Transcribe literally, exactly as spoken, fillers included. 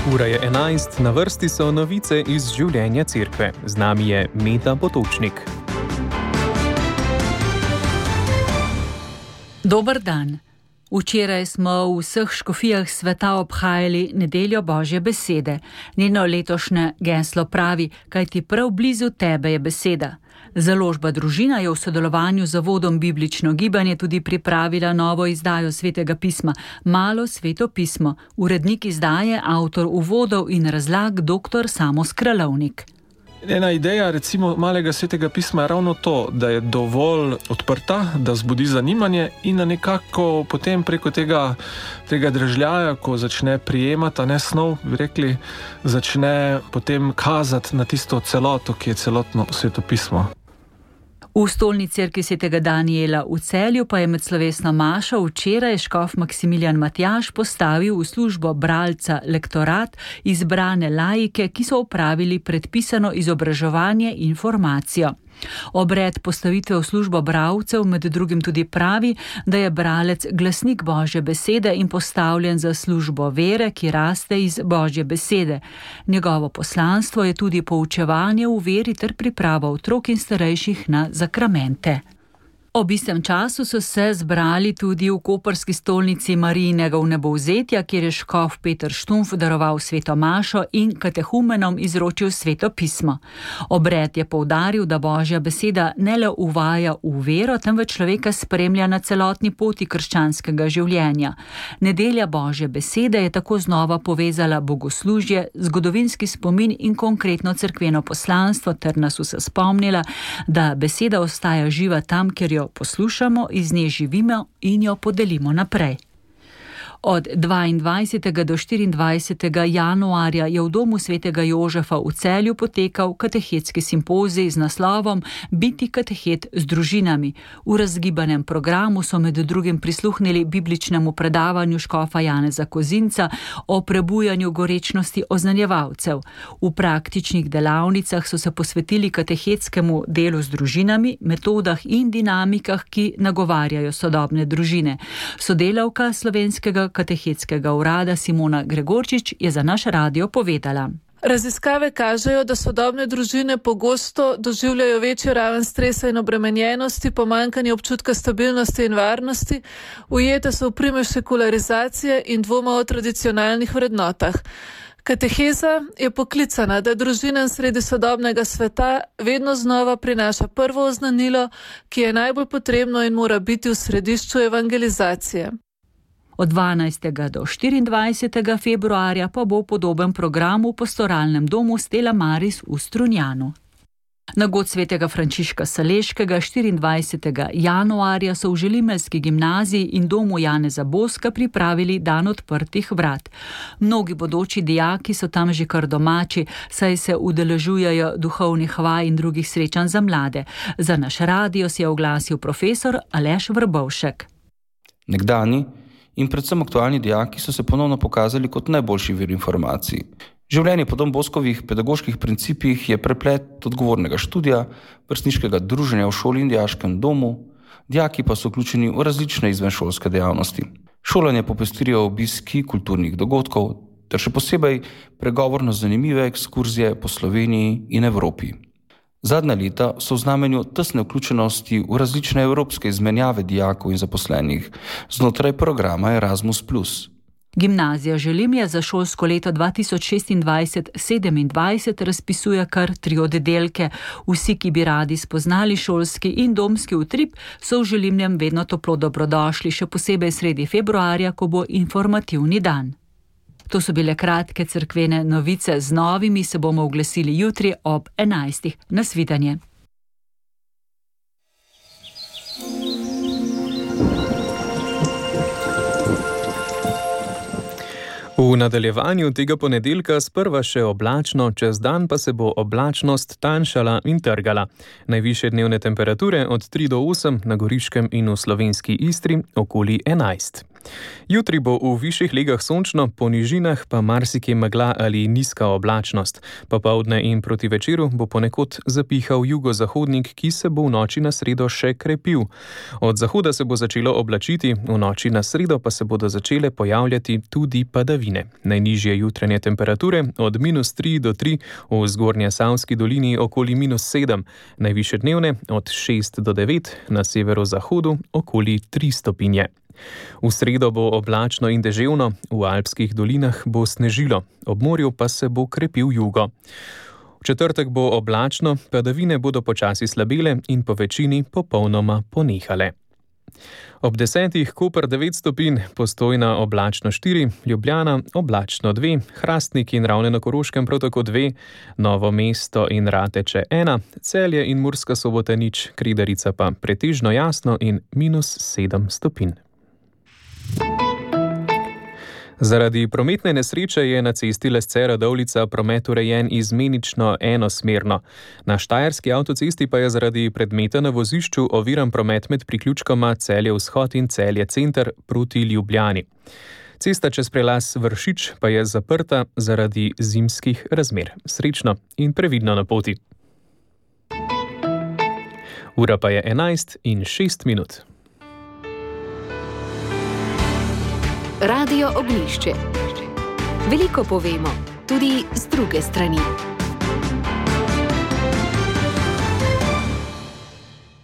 Ura je enajst, na vrsti so novice iz življenja cerkve. Z nami je Meta Potočnik. Dober dan. Včeraj smo v vseh škofijah sveta obhajali nedeljo Božje besede. Njeno letošnje geslo pravi, kajti prav blizu tebe je beseda. Založba Družina je v sodelovanju z Zavodom Biblično gibanje tudi pripravila novo izdajo Svetega pisma, Malo sveto pismo. Urednik izdaje, avtor uvodov in razlag, doktor Samo Skralovnik. Ena ideja, recimo, Malega svetega pisma je ravno to, da je dovolj odprta, da vzbudi zanimanje in da nekako potem preko tega, tega dražljaja, ko začne prijemati, a ne snov, bi rekli, začne potem kazati na tisto celoto, ki je celotno sveto pismo. V stolni cerkvi svetega Danijela v Celju pa je med slovesno mašo včeraj škof Maksimilijan Matjaž postavil v službo bralca lektorat izbrane laike, ki so opravili predpisano izobraževanje in formacijo. Obred postavitve v službo bralcev med drugim tudi pravi, da je bralec glasnik Božje besede in postavljen za službo vere, ki raste iz Božje besede. Njegovo poslanstvo je tudi poučevanje v veri ter priprava otrok in starejših na zakramente. Ob istem času so se zbrali tudi v koprski stolnici Marijinega vnebovzetja, kjer je škof Peter Štumpf daroval sveto mašo in katehumenom izročil sveto pismo. Obred je poudaril, da Božja beseda ne le uvaja v vero, temveč človeka spremlja na celotni poti krščanskega življenja. Nedelja Božje besede je tako znova povezala bogoslužje, zgodovinski spomin in konkretno cerkveno poslanstvo ter nas vse spomnila, da beseda ostaja živa tam, kjer jo poslušamo, iz nje živimo in jo podelimo naprej. Od dvaindvajsetega do štiriindvajsetega januarja je v domu svetega Jožefa v Celju potekal katehetski simpozij z naslovom Biti katehet z družinami. V razgibanem programu so med drugim prisluhnili bibličnemu predavanju škofa Janeza Kozinca o prebujanju gorečnosti oznanjevalcev. V praktičnih delavnicah so se posvetili katehetskemu delu z družinami, metodah in dinamikah, ki nagovarjajo sodobne družine. Sodelavka slovenskega katehetskega urada Simona Gregorčič je za naš radio povedala. Raziskave kažejo, da sodobne družine pogosto doživljajo večjo raven stresa in obremenjenosti, pomanjkanje občutka stabilnosti in varnosti, ujete so v primež sekularizacije in dvoma o tradicionalnih vrednotah. Kateheza je poklicana, da družinam sredi sodobnega sveta vedno znova prinaša prvo oznanilo, ki je najbolj potrebno in mora biti v središču evangelizacije. Od dvanajstega do štiriindvajsetega februarja pa bo podoben program v pastoralnem domu Stella Maris v Strunjanu. Na god svetega Frančiška Saleškega štiriindvajsetega januarja so v Želimeljski gimnaziji in domu Janeza Boska pripravili dan odprtih vrat. Mnogi bodoči dijaki so tam že kar domači, saj se udeležujejo duhovnih vaj in drugih srečanj za mlade. Za naš radio se je oglasil profesor Aleš Vrbovšek. Nekdani in predvsem aktualni dijaki so se ponovno pokazali kot najboljši vir informacij. Življenje po Don Boskovih pedagoških principih je preplet odgovornega študija, vrstniškega druženja v šoli in dijaškem domu, dijaki pa so vključeni v različne izvenšolske dejavnosti. Šolanje popestrijo obiski kulturnih dogodkov ter še posebej pregovorno zanimive ekskurzije po Sloveniji in Evropi. Zadnja leta so v znamenju tesne vključenosti v različne evropske izmenjave dijakov in zaposlenih znotraj programa Erasmus plus. Gimnazija Želimlje za šolsko leto dva tisoč šestindvajset sedemindvajset razpisuje kar tri oddelke. Vsi, ki bi radi spoznali šolski in domski utrip, so v Želimljem vedno toplo dobrodošli, še posebej sredi februarja, ko bo informativni dan. To so bile kratke cerkvene novice, z novimi se bomo oglasili jutri ob enajstih. Nasvidenje. V nadaljevanju tega ponedeljka sprva še oblačno, čez dan pa se bo oblačnost tanjšala in trgala. Najvišje dnevne temperature od tri do osem na Goriškem in v slovenski Istri okoli enajst. Jutri bo v višjih legah sončno, po nižinah pa marsikje megla ali nizka oblačnost. Popoldne in proti večeru bo ponekod zapihal jugozahodnik, ki se bo v noči na sredo še krepil. Od zahoda se bo začelo oblačiti, v noči na sredo pa se bodo začele pojavljati tudi padavine. Najnižje jutranje temperature od minus tri do tri, v Zgornjesavski dolini okoli minus sedem, najvišje dnevne od šest do devet, na severozahodu okoli tri stopinje. V sredo bo oblačno in deževno, v alpskih dolinah bo snežilo, ob morju pa se bo krepil jugo. V četrtek bo oblačno, padavine bodo počasi slabele in po večini popolnoma ponehale. Ob desetih Koper devet stopinj, Postojna oblačno štiri, Ljubljana oblačno dve, Hrastnik in Ravne na Koroškem prav tako dve, Novo mesto in Rateče ena, Celje in Murska Sobota nič, Kredarica pa pretežno jasno in minus sedem stopinj. Zaradi prometne nesreče je na cesti Lesce-Radovljica promet urejen izmenično enosmerno. Na štajerski avtocesti pa je zaradi predmeta na vozišču oviran promet med priključkoma Celje vzhod in Celje center proti Ljubljani. Cesta čez prelaz Vršič pa je zaprta zaradi zimskih razmer. Srečno in previdno na poti. Ura pa je enajst in šest minut. Radio Ognjišče. Veliko povemo, tudi z druge strani.